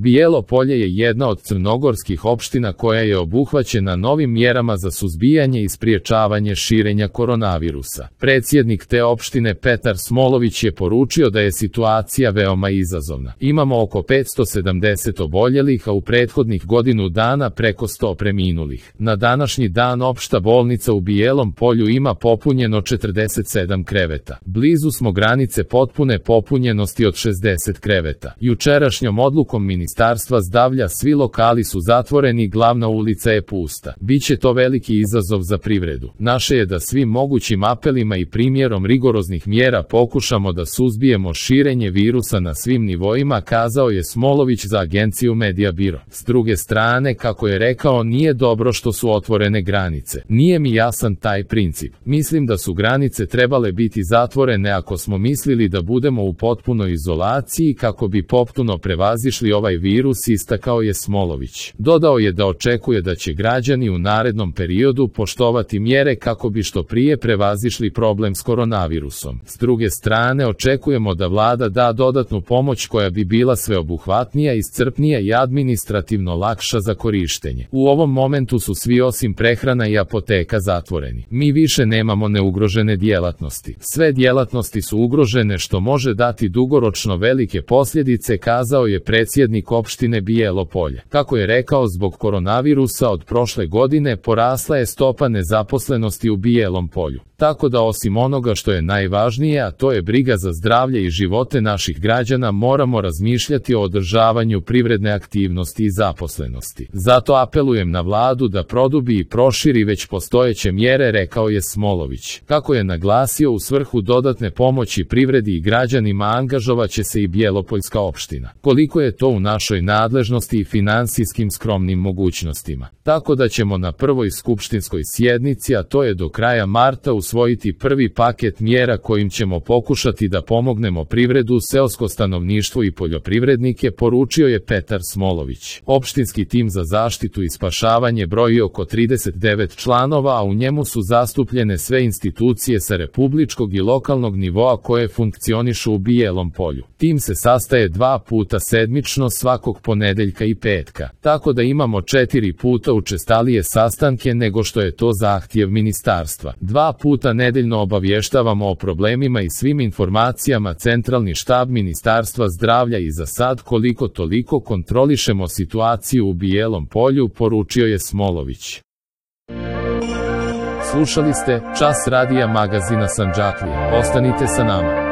Bijelo Polje je jedna od crnogorskih opština koja je obuhvaćena novim mjerama za suzbijanje i spriječavanje širenja koronavirusa. Predsjednik te opštine Petar Smolović je poručio da je situacija veoma izazovna. Imamo oko 570 oboljelih, a u prethodnih godinu dana preko 100 preminulih. Na današnji dan opšta bolnica u Bijelom Polju ima popunjeno 47 kreveta. Blizu smo granice potpune popunjenosti od 60 kreveta. Jučerašnjom odlukom Ministarstva zdravlja svi lokali su zatvoreni, glavna ulica je pusta. Biće to veliki izazov za privredu. Naše je da svim mogućim apelima i primjerom rigoroznih mjera pokušamo da suzbijemo širenje virusa na svim nivoima, kazao je Smolović za agenciju Media Biro. S druge strane, kako je rekao, nije dobro što su otvorene granice. Nije mi jasan taj princip. Mislim da su granice trebale biti zatvorene ako smo mislili da budemo u potpunoj izolaciji kako bi potpuno prevazišli ovaj virus, istakao je Smolović. Dodao je da očekuje da će građani u narednom periodu poštovati mjere kako bi što prije prevazišli problem s koronavirusom. S druge strane, očekujemo da vlada da dodatnu pomoć koja bi bila sveobuhvatnija, iscrpnija i administrativno lakša za korištenje. U ovom momentu su svi osim prehrana i apoteka zatvoreni. Mi više nemamo neugrožene djelatnosti. Sve djelatnosti su ugrožene, što može dati dugoročno velike posljedice, kazao je predsjednik opštine Bijelo Polje. Kako je rekao, zbog koronavirusa od prošle godine porasla je stopa nezaposlenosti u Bijelom Polju. Tako da osim onoga što je najvažnije, a to je briga za zdravlje i živote naših građana, moramo razmišljati o održavanju privredne aktivnosti i zaposlenosti. Zato apelujem na vladu da produbi i proširi već postojeće mjere, rekao je Smolović. Kako je naglasio, u svrhu dodatne pomoći privredi i građanima angažovaće se i Bjelopoljska opština. Koliko je to u našoj nadležnosti i finansijskim skromnim mogućnostima. Tako da ćemo na prvoj skupštinskoj sjednici, a to je do kraja marta, usvojiti prvi paket mjera kojim ćemo pokušati da pomognemo privredu, seosko stanovništvo i poljoprivrednike, poručio je Petar Smolović. Opštinski tim za zaštitu i spašavanje broji oko 39 članova, a u njemu su zastupljene sve institucije sa republičkog i lokalnog nivoa koje funkcionišu u Bijelom Polju. Tim se sastaje 2 puta sedmično, svakog ponedeljka i petka, tako da imamo 4 puta učestalije sastanke nego što je to zahtjev ministarstva. 2 puta nedeljno obavještavamo o problemima i svim informacijama centralni štab Ministarstva zdravlja i za sad koliko toliko kontrolišemo situaciju u Bijelom Polju, poručio je Smolović. Slušali ste Čas radija magazina Sandžaklije. Ostanite sa nama.